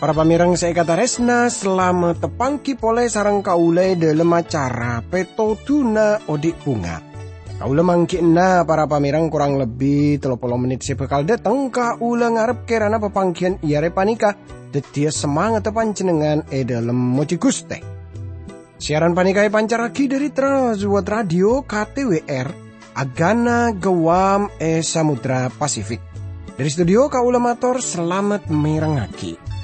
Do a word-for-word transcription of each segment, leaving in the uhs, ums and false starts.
Para pamèrèng sè èkatarèsna, salamet tapanggi polè sareng kaulâ è dhâlem acara Pètodhuna Odi' Bhunga. Kaulâ mangghi'na para pamèrèng korang lebbi tello polo mennit sè bhâkal dâteng, kaulâ ngarep kèrana papangghiyân è arè panèka dhâddhiyâ samangatta panjhennengngan è dhâlem mojhi Ghustè. Siaran panèka èpancarraghi dhâri Trans World Radio K T W R, Agana Guam è Samudra Pasifik. Dhâri studio kaulâ mator salamet mèrengngaghi.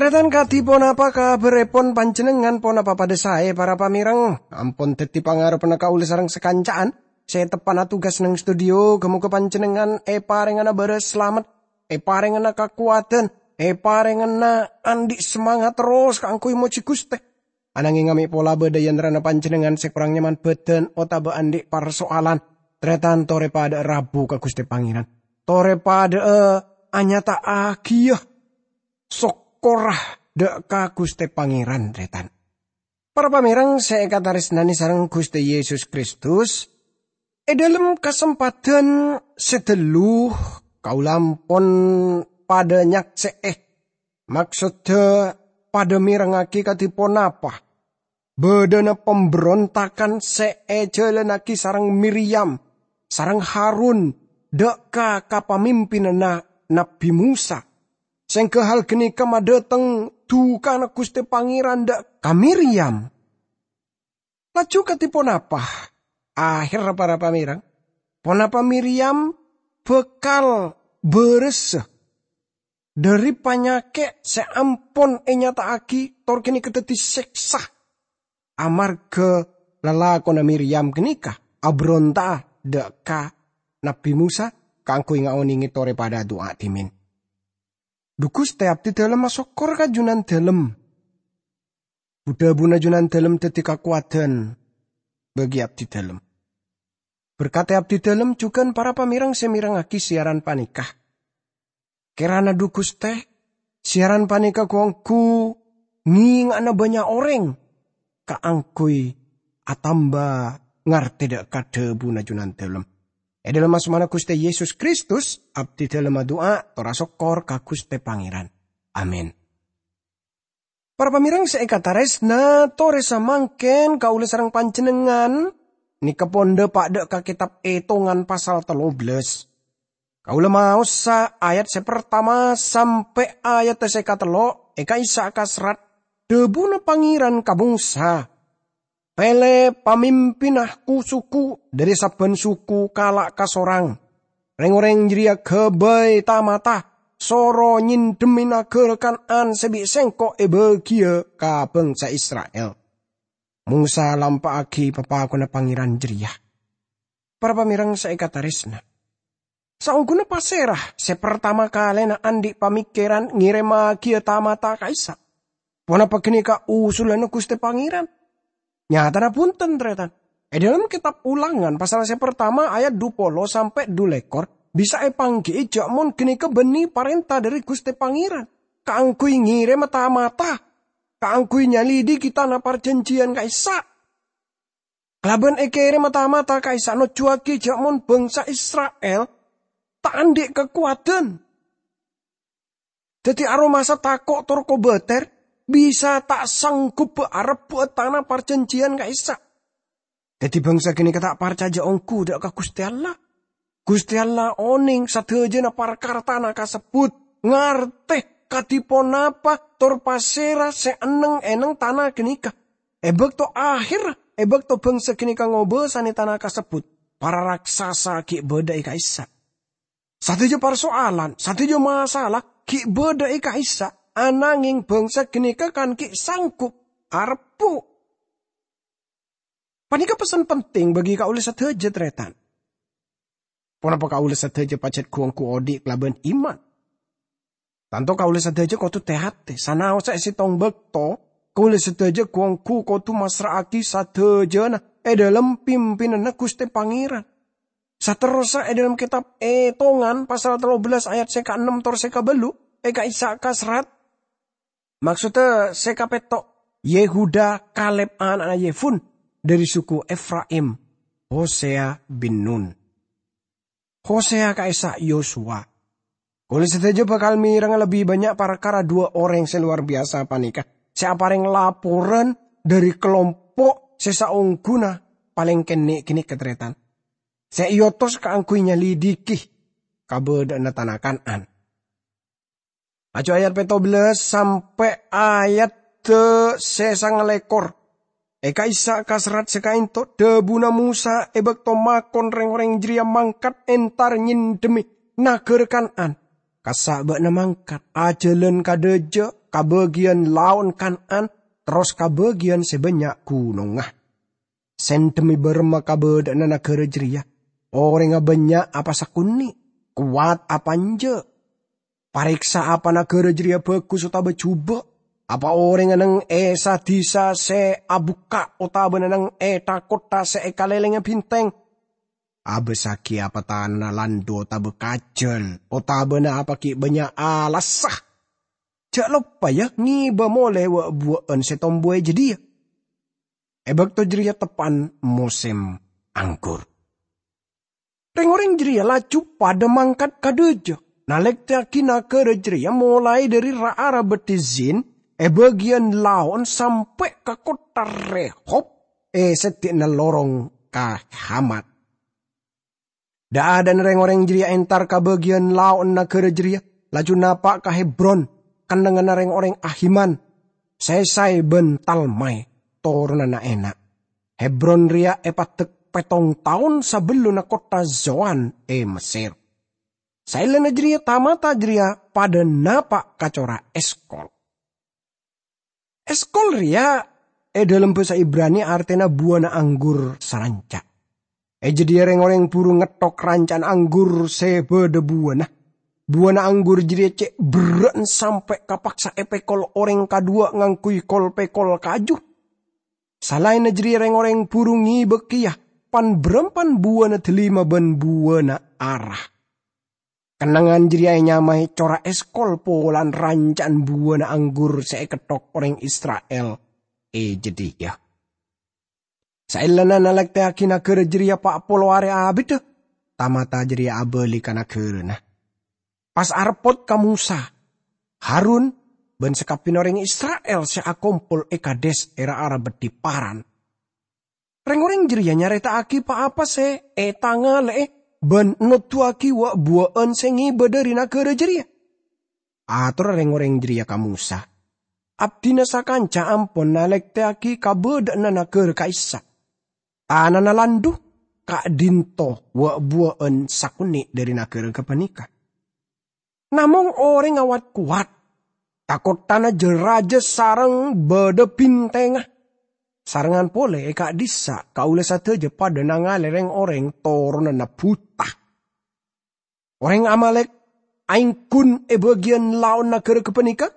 Tarètan, kadhi ponapa kabhârèpon panjhennengngan? Ponapa padâ saè, para pamèrèng? Ampon dhâddhi pangarebhânna kaulâ sareng sakanca'an sè teppa'na tugas neng studio. Ghâ-mogâ panjhennengngan èparèngana bârâs salamet, èparèngana kakowadhân, èparèngana andi' samangat terros kaangghuy mojhi Ghustè. Ananghing mè' pola bâdâ è antarana panjhennengngan sè korang nyaman bhâdhân otabâ andi' parsoalan, tarètan torè padâ'â rabu ka Ghustè Pangèran. Torè padâ'â anyata'aghiyâ sokkorra dâ' ka Ghustè Pangèran, tarètan. Para pamèrèng sè èkatarèsnanè sareng Ghustè Yesus Kristus, è dhâlem kasempadhân sè ghâllu, kaulâ ampon padâ nyaksè'è, maksoddhâ padâ mèrengngaghi kadhi ponapa bâdâna pambherontagan sè èjhâlânnaghi sareng Miryam sareng Harun dâ' ka kapamimpinanna Nabbhi Mosa. Sèngghâ hal ghânèka madhâteng dhukana Ghustè Pangèran dâ' ka Miryam. Laju kadhi ponapa aherra, para pamèrèng? Ponapa Miryam bhâkal bârâsa dhâri panyakè' sè ampon ènyata'aghi tor ghânèka dhâddhi sèksa amarghâ lalakonna Miryam ghânèka abhâronta'a dâ' ka Nabbhi Mosa kaangghuy ngaonèngè torè padâ adu'a dhimèn. Dhu Ghustè, abdhi dhâlem asokkor ka Junandhâlem. Bu-dhâbuna Junandhâlem dhâddhi kakowadhân bagi abdhi dhâlem. Berkatè abdhi dhâlem jhughân para pamèrèng sè mèrengngaghi siaran panèka. Kèrana dhu Ghustè, siaran panèka ghu-ongghu ngènga'ana bânnya' orèng kaangghuy atamba ngartè dâ' ka dhâbuna Junandhâlem. È dhâlem asmana Ghustè Yesus Kristus, abdhi dhâlem adu'a tor asokkor ka Ghustè Pangèran. Amin. Para pamèrèng sè èkatarèsna, torè samangkèn kaulâ sareng panjhennengngan nèka pon dhâpa' dâ' ka Kètab Ètongan pasal tello bellâs. Kaulâ maosa ayat sè partama sampè' ayat sè katello' è ka'issa' ka serrat, dhâbuna Pangèran ka Mosa, "Pèlè pamimpinna ku-suku dhâri sabbhân suku kala' kasorang. Rèng-orèng jârèya ghâbây ta-mata, soro nyendhemmè naghârâ Kan'an sè bi' Sèngko' èbâgiyâ ka bhângsa Isra'il." Mosa lampa'aghi papakonna Pangèran jârèya. Para pamèrèng sè èkatarèsna, saongghuna pasèra sè partama kalèna andi' pamèkkèran ngèrèmmaghiyâ ta-mata ka'issa'? Ponapa ghânèka usulanna Ghustè Pangèran? Nyatana bhunten, tarètan. È dhâlem Kètab Ulangan pasal sè partama ayat dhu polo sampè' dhu lèkor bisa èpangghi'i jâ' mon ghânèka bânnè parènta dhâri Ghustè Pangèran kaangghuy ngèrèma ta-mata, kaangghuy nyalidiki tana parjhânjhiyân ka'issa'. Kalabân èkèrèma ta-mata ka'issa' nojuwâghi jâ' mon bhângsa Isra'il ta' andi' kakowadhân. Dhâddhi aromasa tako' tor kobâtèr bisa ta' sangghubbhâ arebbhu'â tana parjhânjhiyân ka'issa'. Dhâddhi bhângsa ghânèka ta' parcajâ ongghu dâ' ka Ghustè Allah. Ghustè Allah onèng sadhâjâna parkara tana kasebbhut, ngartè kadhi ponapa tor pasèra sè enneng-enneng tana ghânèka. È bâkto aherra, è bâkto bhângsa ghânèka ngobâsanè tana kasebbhut, para raksasa ghi' bâdâ è ka'issa'. Sadhâjâ parsoalan, sadhâjâ masalah ghi' bâdâ è ka'issa', ananghing bhângsa ghânèka kan ghi' sangghup arebbhu'. Panèka pessen penting bagi kaulâ sadhâjâ, tarètan. Ponapa kaulâ sadhâjâ pajhât ghu-ongghu odi' kalabân iman? Tanto kaulâ sadhâjâ kodhu tè-atè, sanaossa è sèttong bâkto, kaulâ sadhâjâ ghu-ongghu kodhu massra'aghi sadhâjâna è dhâlem pimpinanna Ghustè Pangèran. Saterrossa è dhâlem kètab Ètongan pasal tello bellas ayat sè kaennem tor sè kabâllu', è ka'issa' kaserrat, maksodda sè kapètto', Yehuda, Kaleb ana'na Yefun, dhâri suku Efraim, Hosea bin Nun. Hosea ka'issa' Yosua. Kaulâ sadhâjâ bhâkal mèrèngnga lebbi bânnya' parkara dhuwâ' orèng sè lowar biyasa panèka, sè aparèng laporan dhâri kalompo' sè saongghuna palèng kènè' ghânèka, tarètan, sè èotos kaangghuy nyalidhighi kabâdâ'ânna tana Kan'an. Laju ayat pètto bellas sampè' ayat sè sangalèkor. È ka'issa' kaserrat sè kaènto, dhâbuna Mosa è bâkto makon rèng-orèng jârèya mangkat entar nyendhemmè naghârâ Kan'an, "Kassa' bâ'na mangkat, ajhâlân ka dhâjâ, ka bâgiyân lao'na Kan'an, terros ka bâgiyân sè bânnya' ghunongnga. Sendhemmè bârâmma kabâdâ'ânna naghârâ jârèya? Orèngnga bânnya' apa sakonè'? Kowat apa enjâ'? Parèksa apa naghârâ jârèya bhâghus otabâ jhubâ'? Apa orèngnga neng è sa-dhisa sè abukka' otabâna neng è tha-kottha sè èkalèlèngè bhintèng? Abâssaghi apa tanana landhu otabâ kajhâl, otabâna apa ghi' bânnya' alassa? Jhâ' loppa, ya, ngibâ molè wâ'-buwâ'ân sè tombuwâ è jâdiyâ." È bâkto jârèya teppa'na mosèm anggur. Rèng-orèng jârèya laju padâ mangkat ka dhâjâ, nalèktèyaghi naghârâ jârèya molaè dhâri ra-ara bâdhi Zin è bâgiyân lao'na sampè' ka kottha Rehob è seddi'na lorong ka Hamat. Dha'-adha'na rèng-orèng jârèya entar ka bâgiyân lao'na naghârâ jârèya, laju napa' ka Hebron, kennengnganna rèng-orèng Ahiman, Sesai bân Talmai, toronanna Enak. Hebron rèya èpaddek pèttong taon sabellunna kottha Zoan è Messèr. Saellana jârèya, ta-mata jârèya padâ napa' ka cora' Eskol. Eskol rèya è dhâlem bhâsa Ibrani artèna buwâna anggur saranca'. È jâdiyâ rèng-orèng buru ngettok ranca'na anggur sè bâdâ buwâna. Buwâna anggur jârèya cè' berrâ'na sampè' kapaksa èpèkol orèng kadhuwâ' ngangghuy kol-pèkol kaju. Salaènna jârèya rèng-orèng buru ngibâ kèya pan-bârâmpan buwâna dâlima bân buwâna ara. Kennengngan jârèya ènyamaè cora' Eskol polana ranca'na buwâna anggur sè èkettok orèng Isra'il è jâdiyâ. Saellana nalèktèyaghi naghârâ jârèya pa' polo arè abiddhâ, ta-mata jârèya abâli ka naghârâna. Pas areppot ka Mosa, Harun, bân sakabinna orèng Isra'il sè akompol è Kades è ra-ara bâdhi Paran. Rèng-orèng jârèya nyarèta'aghi pa-apa sè ètangalè'è bân noduwâghi wâ'-buwâ'ân sè ngibâ dhâri naghârâ jârèya. Atorra rèng-orèng jârèya ka Mosa, "Abdhina sakanca ampon nalèktèyaghi kabâdâ'ânna naghârâ ka'issa'. Tanana landhu, ka'dinto wâ'-buwâ'ân sakonè' dhâri naghârâ ghâpanèka. Namong orèngnga wat-kowat, tha-kotthana jâ-rajâ sareng bâdâ bhintèngnga. Sarengngan polè è ka'dhissa' kaulâ sadhâjâ padâ nangalè rèng-orèng toronanna buta. Orèng Amalèk aèngghun è bâgiyân lao'na naghârâ ghâpanèka,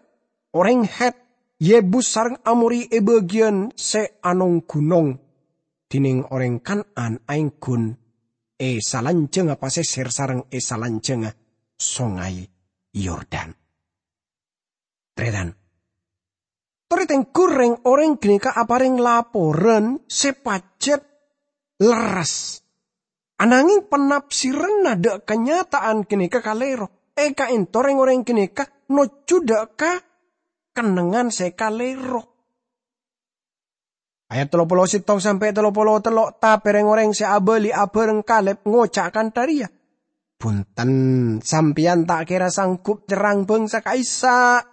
orèng Het, Yebus sareng Amori è bâgiyân sè anong-ghunong, dhinèng orèng Kan'an aèngghun è salanjhângnga pasèsèr sareng è salanjhângnga Songay Yordan." Tarètan. Torè tengghu rèng-orèng ghânèka aparèng laporan sè pajhât lerres. Ananghèng panafsiranna dâ' kanyata'an ghânèka kalèro. È ka'ènto rèng-orèng ghânèka nojjhu dâ' ka kennengngan sè kalèro. Ayat tello polo sèttong sampè' tello polo tello', tapè rèng-orèng sè abâli abhâreng Kaleb ngoca' kantha rèya, "Bhunten, sampèyan ta' kèra sanggup nyerrang bhângsa ka'issa'.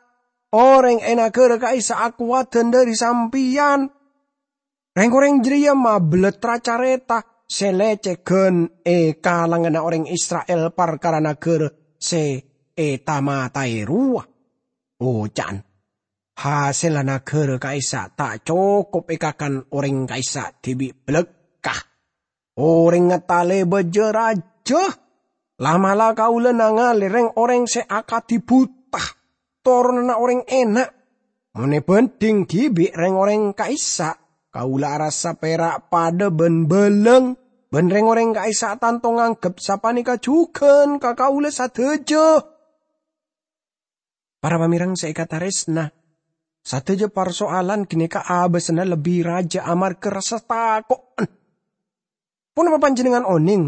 Orèng è naghârâ ka'issa' akowadhân dhâri sampèyan." Rèng-orèng jârèya mabellât ra-carèta sè lècèghân è kalanganna orèng Isra'il parkara naghârâ sè èta-mataè rowa. Oca'na, "Hasèlla naghârâ ka'issa' ta' cokop èkakan orèng ka'issa' dhibi' bâlâkka. Orèngnga talèbâ jâ-rajâ. La'-mala' kaulâ nangalè rèng-orèng sè akadhi buta. toronanna orèng Enak. Mon èbhândhing dhibi' rèng-orèng ka'issa', kaulâ arassa pèra' padâ bân bâlâng, bân rèng-orèng ka'issa' tanto nganggep sapanèka jhughân ka kaulâ sadhâjâ. Para pamèreng sè èkatarèsna, sadhâjâ parsoalan ghânèka abâssana lebbi rajâ amarghâ rassa tako'en. Ponapa panjhennengngan onèng?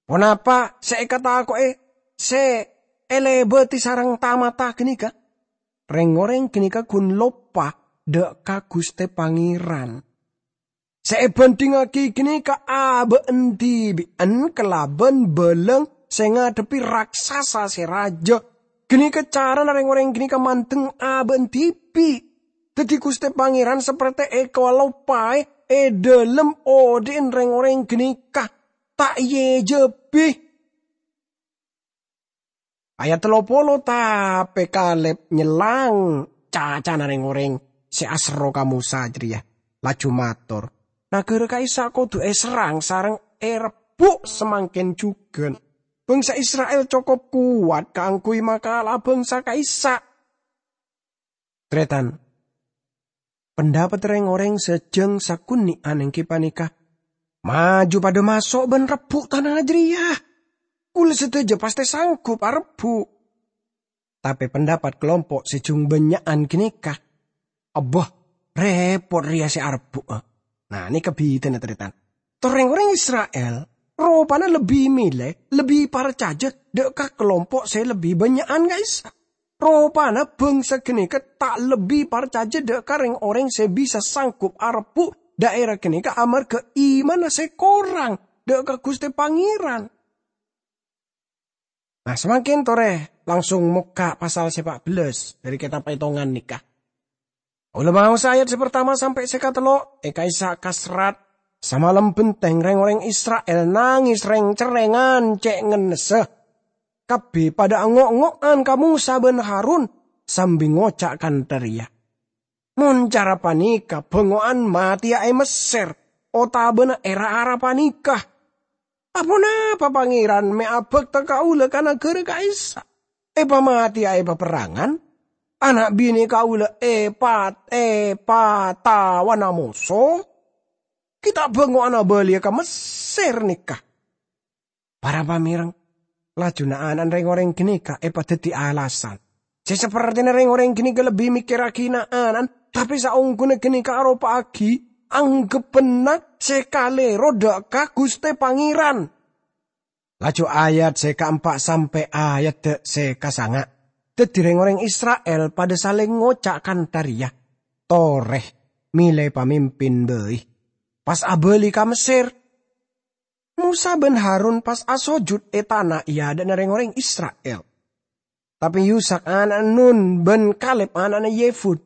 Ponapa sè èkatako'è sè èlèbâdhi sareng ta-mata ghânèka? Rèng-orèng ghânèka ghun loppa dâ' ka Ghustè Pangèran. Sè èbhândhingngaghi ghânèka abâ'na dhibi'en kalabân bâlâng sè ngadhebbhi raksasa sè rajâ. Ghânèka carana rèng-orèng ghânèka mandeng abâ'na dhibi'. Dhâddhi Ghustè Pangèran saperte èkaloppaè è dhâlem odhi'na rèng-orèng ghânèka, ta' èjhâbhi. Ayat tello polo, tapè Kaleb nyellang cacana rèng-orèng sè aserro ka Mosa jârèya, laju mator, "Naghârâ ka'issa' kodhu èserrang sareng èrebbhu' samangkèn jhughân. Bhângsa Isra'il cokop kowat kaangghuy makala'a bhângsa ka'issa'." Tarètan, pandhâpaddhâ rèng-orèng sajâng sakonè'an èngghi panèka, "Maju padâ maso' bân rebbhu' tana jârèya. Kaulâ sadhâjâ pastè sanggup arebbhu'." Tapè pandhâpat kalompo' sè jhung bânnya'an ghânèka, "Abbâ, rèpot rèya sè arebbhu'a." Nah, nèka bhidhâna, tarètan. Tor rèng-orèng Isra'il ropana lebbi mèlè, lebbi parcajâ dâ' ka kalompo' sè lebbi bânnya'an ka'issa'. Ropana bhângsa ghânèka ta' lebbi parcajâ dâ' ka rèng-orèng sè bisa sanggup arebbhu' dhaèra ghânèka amarghâ imanna sè korang dâ' ka Ghustè Pangèran. Nah, samangkèn torè langsung mokka' pasal sè pa' bellâs dhâri kètab Ètongan nèka. Kaulâ maosa ayat sè partama sampè' sè katello', è ka'issa' kasrat, samalem bhenteng rèng-orèng Isra'il nangès rèng-cerrèngan cè' ngennessa. Kabbhi padâ ango'-ngo'an ka Mosa bân Harun sambi ngoca' kantha rèya, "Mon cara panèka bângo'an matèya è Messèr otabâna è ra-ara panèka. Aponapa Pangèran mè' abhâkta kaulâ ka naghârâ ka'issa'? Èpamatèya è paperrangan, ana' binè kaulâ èpat-, èpatawana moso? Ghi' ta' bângo'an abâliyâ ka Messèr nèka?" Para pamèreng, laju na'-ana'na rèng-orèng ghânèka èpadhâddhi alasan. Sè sapertèna rèng-orèng ghânèka lebbi mèkkèrraghi na'-ana'na, tapè saongghuna ghânèka aropa'aghi angghebbhânna sè kalèro dâ' ka Ghustè Pangèran. Laju ayat sè kaempa' sampè' ayat sè kasanga'. Dhâddhi rèng-orèng Isra'il padâ salèng ngoca' kantha rèya, "Torè, mèlè pamimpin bhâi. Pas abâli ka Messèr." Mosa bân Harun pas asojud è tana è adâ'na rèng-orèng Isra'il. Tapè Yusak ana'na Nun bân Kaleb ana'na Yefun,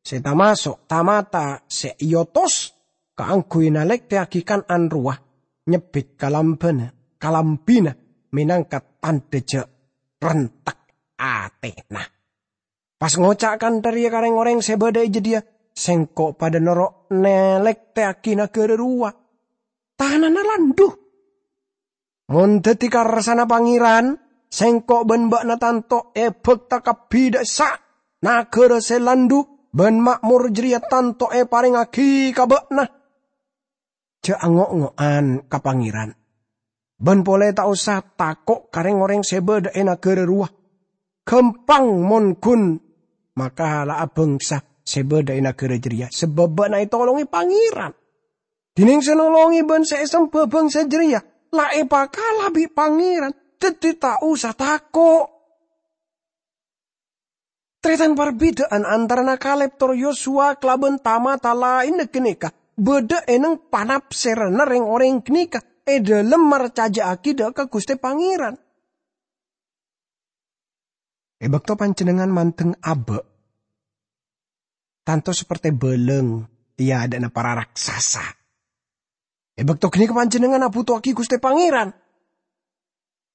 sè tamaso' ta-mata sè èotos kaangghuy nalèktèyaghi Kan'an rowa, nyebbit kalambhâna, kalambhina mènangka tandhâ jhâ' rentek atèna. Pas ngoca' kantha rèya ka rèng-orèng sè bâdâ è jâdiyâ, "Sèngko' padâ noro' nalèktèyaghi naghârâ rowa. Tanana landhu. Mon dhâddhi karsana Pangèran, sèngko' bân bâ'na tanto èbhâkta kabbhi dâ' essa'. Naghârâ sè landhu bân ma'mor jârèya tanto èparèngaghi ka bâ'na. Jhâ' ango'-ngo'an ka Pangèran, bân polè ta' osa tako' ka rèng-orèng sè bâdâ è naghârâ rowa. Ghâmpang mon ghun makala'a bhângsa sè bâdâ è naghârâ jârèya, sabâb bâ'na ètolongè Pangèran. Dhinèng sè nolongè bân sè èsemba bhângsa jârèya la èpakala bi' Pangèran, dhâddhi ta' osa tako'." Tarètan, parbidhâ'ân antarana Kaleb tor Yosua kalabân ta-mata laènna ghânèka bâdâ è neng panapsèranna rèng-orèng ghânèka è dhâlem marcajâ'aghi dâ' ka Ghustè Pangèran. È bâkto panjhennengngan mandeng abâ', tanto saperte bâlâng è adâ'na para raksasa. È bâkto ghânèka panjhennengngan abhuto'aghi Ghustè Pangèran.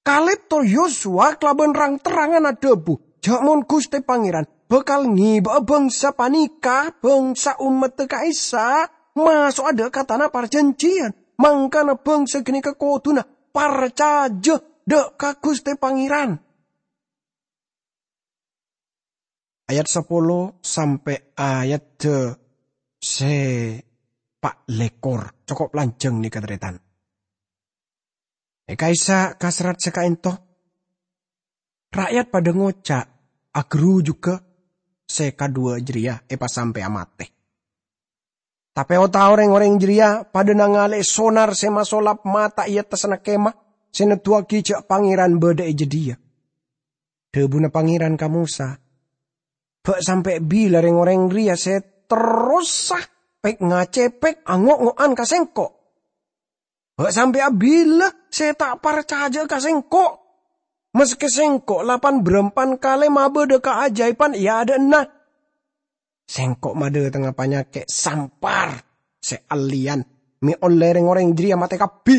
Kaleb tor Yosua kalabân rang-terrangan adhâbu, jhâ' mon Ghustè Pangèran bhâkal ngèbâ'â bhângsa panèka, bhângsa ommaddhâ ka'issa', maso'a dâ' ka tana parjhânjhiyân, mangkana bhângsa ghânèka kodhuna parcajâ dâ' ka Ghustè Pangèran. ayat sapolo sampè' ayadda sè pa' lèkor. Cokop lanjhâng nèka, tarètan. È ka'issa' ka serrat sè ka'ènto, ra'yat padâ ngoca', "Aghârujugghâ sè kadhuwâ jârèya èpasampèya matè." Tapè o-tao rèng-orèng jârèya padâ nangalè'è sonar sè masolap mata è attasna kemah sè neddhuwâghi jâ' Pangèran bâdâ è jâdiyâ. Dhâbuna Pangèran ka Mosa, "Bâ' sampè' bilâ rèng-orèng rèya sè terrosa pèk-ngacèpèk ango'-ngo'an ka Sèngko'? Bâ' sampè' abila sè ta' parcajâ'â ka Sèngko', maskè Sèngko' lapan bârâmpan kalè mabâdâ kaajâibhân è adâ'na? Sèngko' madâtengnga panyakè' sampar sè allèyan, mè' ollè rèng-orèng jârèya matè kabbhi.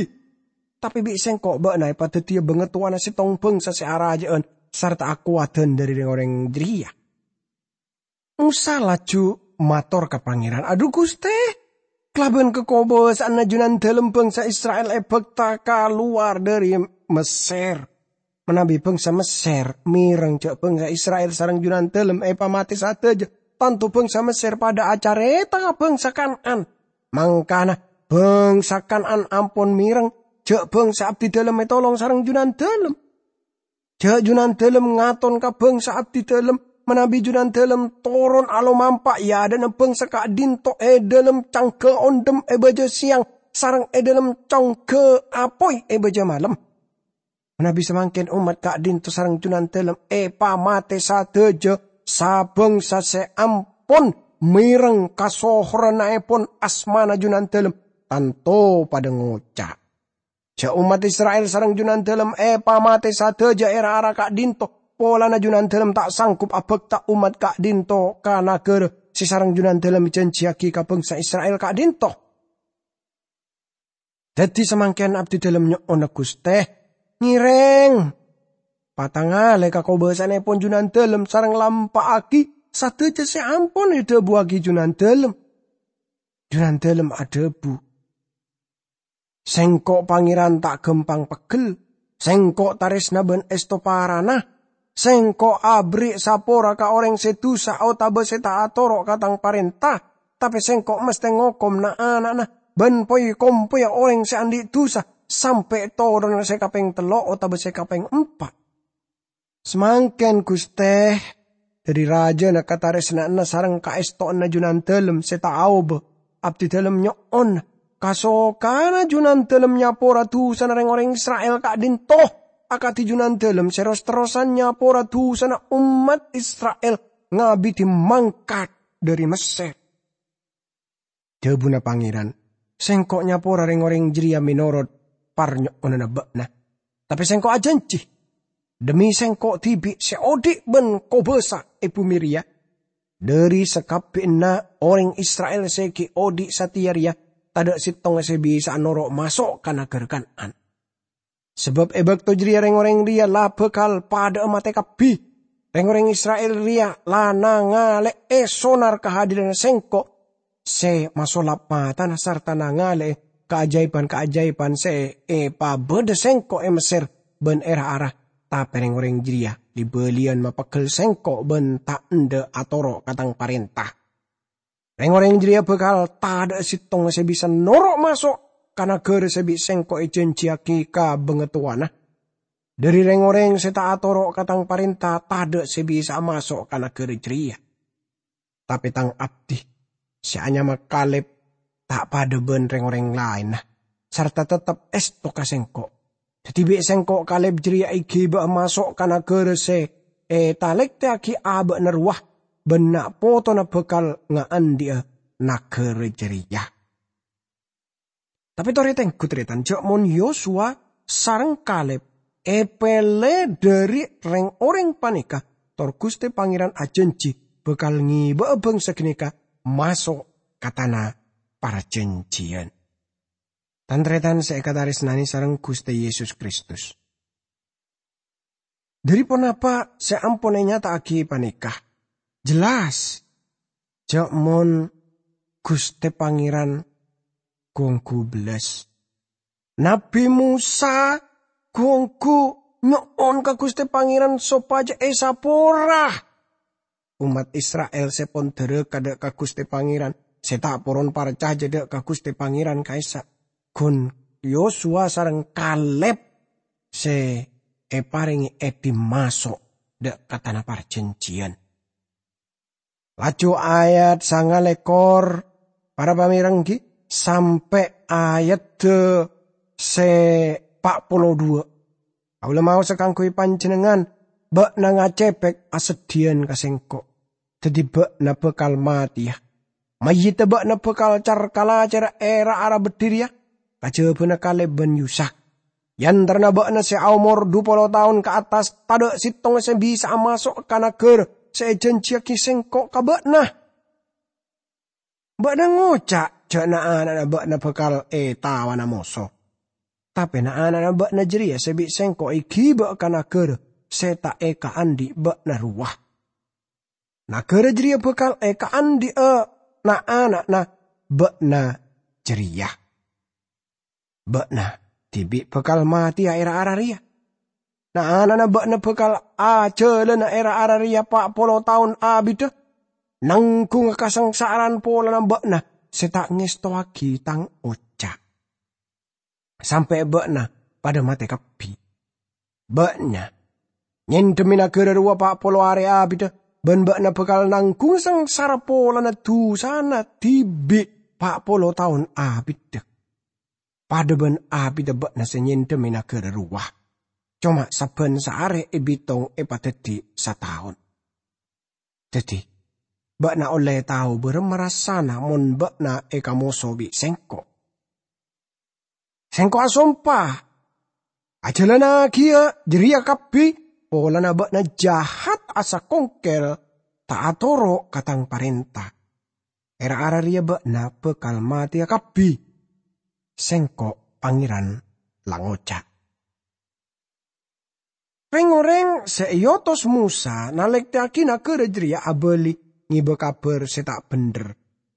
Tapè bi' Sèngko' bâ'na èpadhâddhiyâ bhângatowana sèttong bhângsa sè arajâ'ân sarta akowadhân dhâri rèng-orèng jârèya." Mosa laju mator ka Pangèran, "Adhu, Ghustè, kalabân kakobâsa'anna Junandâlem bhângsa Isra'il èbhâkta kalowar dhâri Messèr. Manabi bhângsa Messèr mèreng jâ' bhângsa Isra'il sareng Junandâlem èpamatè sadhâjâ, tanto bhângsa Messèr padâ acarèta ka bhângsa Kan'an. Mangkana bhângsa Kan'an ampon mèreng jâ' bhângsa abdhidâlem ètolong sareng Junandâlem. Jâ' Junandâlem ngaton ka bhângsa abdhidâlem, manabi Junandâlem toron alomampa è adâ'na bhângsa ka'dinto è dhâlem cangghâ ondhem è bâjâ sèyang sareng è dhâlem cangghâ apoy è bâjâ malem. Manabi samangkèn ommat ka'dinto sareng Junandâlem èpamatè sadhâjâ, sabhângsa sè ampon mèreng kasohorannèpon asmana Junandâlem, tanto padâ ngoca', 'Jâ' ommat Isra'il sareng Junandâlem èpamatè sadhâjâ è ra-ara ka'dinto, polana Junandâlem ta' sanggup abhâkta ommat ka'dinto ka naghârâ sè sareng Junandâlem èjhânjhiyâghi ka bhângsa Isra'il ka'dinto.' Dhâddhi samangkèn abdhidâlem nyo'ona, Ghustè, ngèrèng patangalè kakobâsa'annèpon Junandâlem sareng lampa'aghi sadhâjâ sè ampon èdhâbuwâghi Junandâlem." Junandâlem adhâbu, "Sèngko' Pangèran ta' ghâmpang peggel. Sèngko' tarèsna bân èsto parana. Sèngko' aberri' sapora ka orèng sè dusa otabâ sè ta' atoro' ka Tang parènta, tapè Sèngko' mastè ngokom na'-ana'na bân poy-kompoyya orèng sè andi' dusa, sampè' toron sè kapèng tello' otabâ sè kapèng empa'." Samangkèn, Ghustè, dhâri rajâna katarèsna'anna sareng kaèstowanna Junandâlem sè ta' aobâ, abdhidâlem nyo'ona, kasokana Junandâlem nyapora dusana rèng-orèng Isra'il ka'dinto, akadhi Junandâlem sè ros-terrosan nyapora dusana ommat Isra'il ngabidhi mangkat dhâri Messèr. Dhâbuna Pangèran, "Sèngko' nyapora rèng-orèng jârèya mènorot parnyo'onanna bâ'na. Tapè Sèngko' ajhânjhi, dhemmi Sèngko' dhibi' sè odi' bân kobâsa è bhumè rèya, dhâri sakabbhiyanna orèng Isra'il sè ghi' odi' satèya rèya, tadâ' sèttonga sè bisa'a noro' maso' ka naghârâ Kan'an. Sabâb è bâkto jârèya rèng-orèng rèya la bhâkal padâ'â matè kabbhi. Rèng-orèng Isra'il rèya la nangalè'è sonar kahadiranna Sèngko' sè masolap matana sarta nangalè'è kaajâibhân-kaajâibhân sè èpabâdâ Sèngko' è Messèr bân è ra-ara, tapè rèng-orèng jârèya li-bâliyân mapeggel Sèngko' bân ta' endâ' atoro' ka Tang parènta. Rèng-orèng jârèya bhâkal tadâ'â sèttonga sè bisa noro' maso' ka naghârâ sè bi' Sèngko' èjhânjhiyâghi ka bangatowana. Dhâri rèng-orèng sè ta' atoro' ka Tang parènta, tadâ' sè bisa'a maso' ka naghârâ jârèya. Tapè Tang abdhi, sè anyama Kalèb, ta' padâ bân rèng-orèng laènna, sarta teptep èsto ka Sèngko'. Dhâddhi bi' Sèngko' Kalèb jârèya èghibâ'â maso' ka naghârâ sè ètalèktèyaghi abâ'na rowa, bân na' potona bhâkal ngaandi'â naghârâ jârèya." Tapè torè tengghu, tarètan, jâ' mon Yosua sareng Kalèb èpèlè dhâri rèng-orèng panèka, tor Ghustè Pangèran ajhânjhi bhâkal ngibâ'â bhângsa ghânèka maso' ka tana parjhânjhiyân. Tan-tarètan sè èkatarèsnanè sareng Ghustè Yesus Kristus, dhâri ponapa sè ampon ènyata'aghi panèka? Jelas, jâ' mon Ghustè Pangèran ghu-ongghu bellas. Nabbhi Mosa ghu-ongghu nyo'on ka Ghustè Pangèran sopajâ èsapora. ommat Isra'il sè pon dhârâka dâ' ka Ghustè Pangèran, sè ta' poron parcajâ dâ' ka Ghustè Pangèran ka'issa', ghun Yosuwa sareng Kaleb sè èparèngè èdhi maso' dâ' ka Tana Parjhânjhiyân. Laju ayat sangalèkor, para pamèreng, ghi, sampè' ayadda sè pa' polo duwâ'. Kaulâ maosa kaangghuy panjhennengngan, bâ'na ngacèpèk aseddhiyân ka sèngko'. Dhâddhi bâ'na bhâkal matèya. Mayyiddhâ bâ'na bhâkal car-kalacèra è ra-ara beddhi rèya, kajhâbhâna Kaleb bân Yusak. È antarana bâ'na sè aomor dhu polo taon ka attas, tadâ' sèttonga sè bisa'a maso' ka naghârâ sè èjhânjhiyaghi sèngko' ka bâ'na. Bâ'na ngoca' jâ' na'-ana'na bâ'na bhâkal ètawana moso. Tapè na'-ana'na bâ'na jârèya sè bi' sèngko' èghibâ ka naghârâ sè ta' èkaandhi' bâ'na rowa. Naghârâ jârèya bhâkal èkaandhi'â na'-ana'na bâ'na jârèya. Bâ'na dhibi' bhâkal matèya è ra-ara rèya. Na'-ana'na bâ'na bhâkal ajhâlâna è ra-ara rèya pa' polo taon abiddhâ, nangghungnga kasangsara'an polana bâ'na sè ta' ngèstowaghi tang oca'. Sampè' bâ'na padâ matè kabbhi. Bâ'na nyèndhemmè naghârâ rowa pa' polo arè abiddhâ, bân bâ'na bhâkal nangghung sangsara polana dhusana dhibi' pa' polo taon abiddhâ. Padâ bân abiddhâ bâ'na sè nyèndhemmè naghârâ rowa. Coma sabbhân saarè èbitong èpadhâddhi sataon. Dhâddhi, bâ'na ollè tao bârâmma rassana mon bâ'na èkamoso bi' sèngko'. Sèngko' asompa, ajhâlânaghiyâ jârèya kabbhi polana bâ'na jahat asakongkèl ta' atoro' ka tang parènta. È ra-ara rèya bâ'na bhâkal matèya kabbhi. Sèngko' Pangèran la ngoca'. Rèng-orèng sè èotos Mosa nalèktèyaghi naghârâ jârèya abâli ngèbâ kabhâr sè ta' bhendher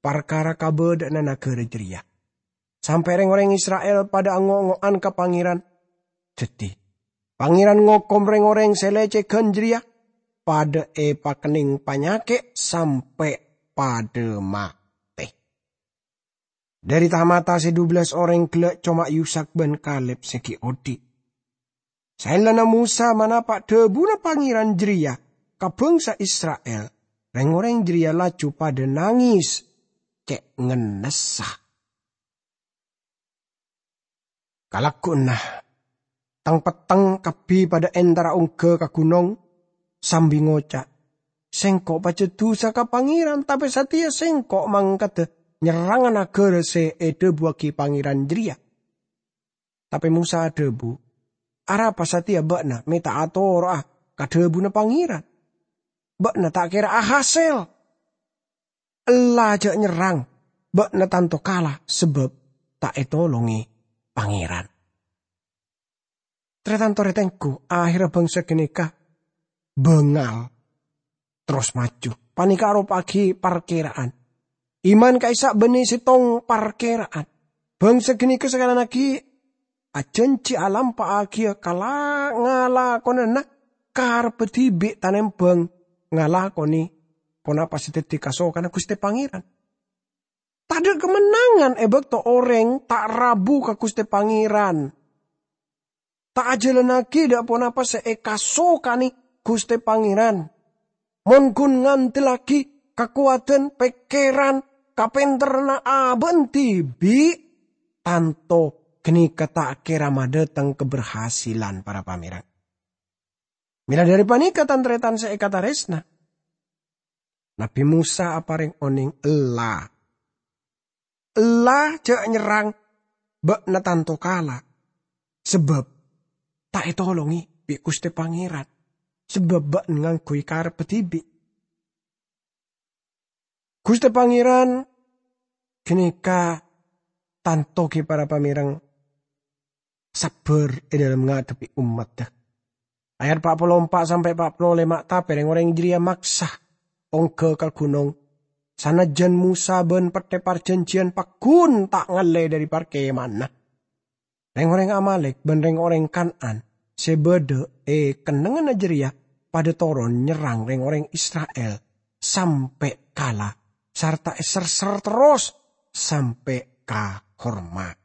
parkara kabâdâ'ânna naghârâ jârèya. Sampè' rèng-orèng Isra'il padâ ango'-ngo'an ka Pangèran. Dhâddhi, Pangèran ngokom rèng-orèng sè lècèghân jârèya padâ èpakennèng panyakè' sampè' padâ matè. Dhâri ta-mata sè dubellâs orèng ghellâ' coma Yusak bân Kaleb sè ghi' odi'. Saellana Mosa manapa' dhâbuna Pangèran jârèya ka bhângsa Isra'il, rèng-orèng jârèya laju padâ nangès cè' ngennessa. Kalagguwanna, teng-petteng kabbhi padâ entara ongghâ ka ghunong, sambi ngoca', "Sèngko' pajhât dhusa ka Pangèran, tapè satèya sèngko' mangkada nyerranga naghârâ sè èdhâbuwaghi Pangèran jârèya." Tapè Mosa adhâbu, "Arapa satèya bâ'na mè' ta' atoro'a ka dhâbuna Pangèran? Bâ'na ta' kèra ahasèl. Ella jhâ' nyerrang, bâ'na tanto kala sabâb ta' ètolongè Pangèran." Tarètan-tarètenggu, ahèrra bhângsa ghânèka bângal, terros maju. Panèka aropa'aghi parkèra'an. Iman ka'issa' bânnè sèttong parkèra'an. Bhângsa ghânèka sakalèyan aghi' ajhânjhi alampa'aghiyâ kala-, ngalakonana karebbhâ dhibi' tanèmbhâng ngalakonè ponapa sè dhâddhi kasokanna Ghustè Pangèran. Tadâ' kamennangan è bâkto orèng ta' rabu ka Ghustè Pangèran. Ta' ajhâlânnaghi dâ' ponapa sè èkasokanè Ghustè Pangèran. Mon ghun ngandellaghi kakowadhân pèkkèran, kapènterranna abâ'na dhibi', tanto ghânèka ta' kèra madhâteng kaberhasilan, para pamèreng. Mèla dhâri panèka, tan-tarètan sè èkatarèsna, Nabbhi Mosa aparèng onèng ella. Ella jhâ' nyerrang, bâ'na tanto kala. Sabâb ta' ètolongè bi' Ghustè Pangèran, sabâb bâ'na ngangghuy karebbhâ dhibi'. Ghustè Pangèran ghânèka tanto ghi' para pamèreng sabbhâr è dhâlem ngadhebbhi ommaddhâ. Ayat pa' polo empa' sampè' pa' polo lèma', tapè rèng-orèng jârèya maksa ongghâ ka ghunong, sanajjân Mosa bân Pettè Parjhânjhiyân pagghun ta' ngallè dhâri parkèmanna. Rèng-orèng Amalèk bân rèng-orèng Kan'an sè bâdâ è kennengnganna jârèya padâ toron nyerrang rèng-orèng Isra'il sampè' kala, sarta èserser terros sampè' ka horma'.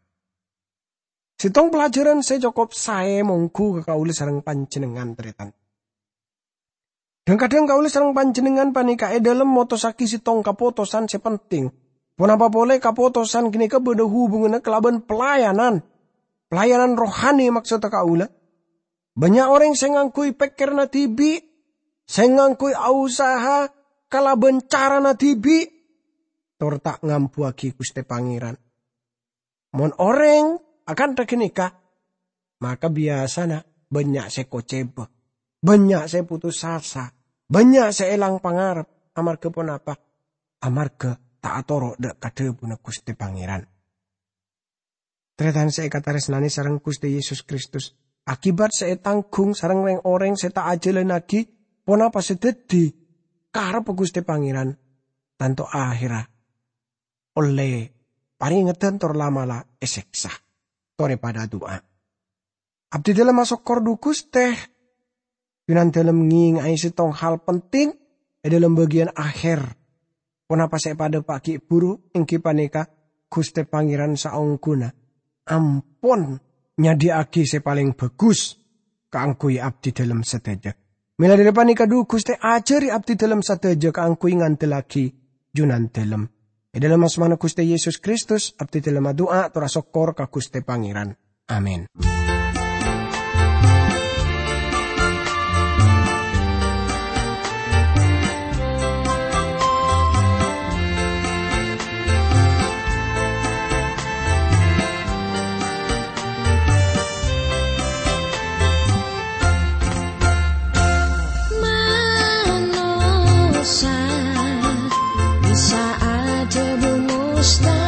Sèttong pelajaran sè cokop saè mongghu ka kaulâ sareng panjhennengngan, tarètan. Dhâng-kadhâng kaulâ sareng panjhennengngan panèka è dhâlem motossaghi sèttong kapotosan sè penting. Ponapa polè kapotosan ghânèka bâdâ hubunganna kalabân pelayanan. Pelayanan rohani maksodda kaulâ. Bânnya' orèng sè ngangghuy pèkkèranna dhibi', sè ngangghuy usaha kalabân carana dhibi', tor ta' ngambuwâghi Ghustè Pangèran. Mon orèng akantha ghânèka, maka biyasana bânnya' sè kocèba, bânnya' sè putus asa, bânnya' sè èlang pangarep. Amarghâ ponapa? Amarghâ ta' atoro' dâ' ka dhâbuna Ghustè Pangèran. Tarètan sè èkatarèsnanè sareng Ghustè Yesus Kristus, akibat sè ètangghung sareng rèng-orèng sè ta' ajhâlânnaghi ponapa sè dhâddhi karebbhâ Ghustè Pangèran, tanto ahèrra ollè parèngedhân tor la'-mala' èsèksa. Torè padâ adu'a. Abdhidhâlem asokkor, dhu Ghustè. Junandhâlem ngènga'è sèttong hal penting è dhâlem bâgiyân ahèr. Ponapa sè èpadâpa'a ghi' bhuru, èngghi panèka Ghustè Pangèran saongghuna ampon nyadhiyâ'aghi sè palèng bhâghus kaangghuy abdhidhâlem sadhâjâ. Mèla dhâri panèka, dhu Ghustè, ajhâri abdhidhâlem sadhâjâ kaangghuy ngandellaghi Junandhâlem. È dhâlem asmana Ghustè Yesus Kristus, abdhidhâlem adu'a tor asokkor ka Ghustè Pangèran. Amin. Manossa bisa adhâbu mustahil.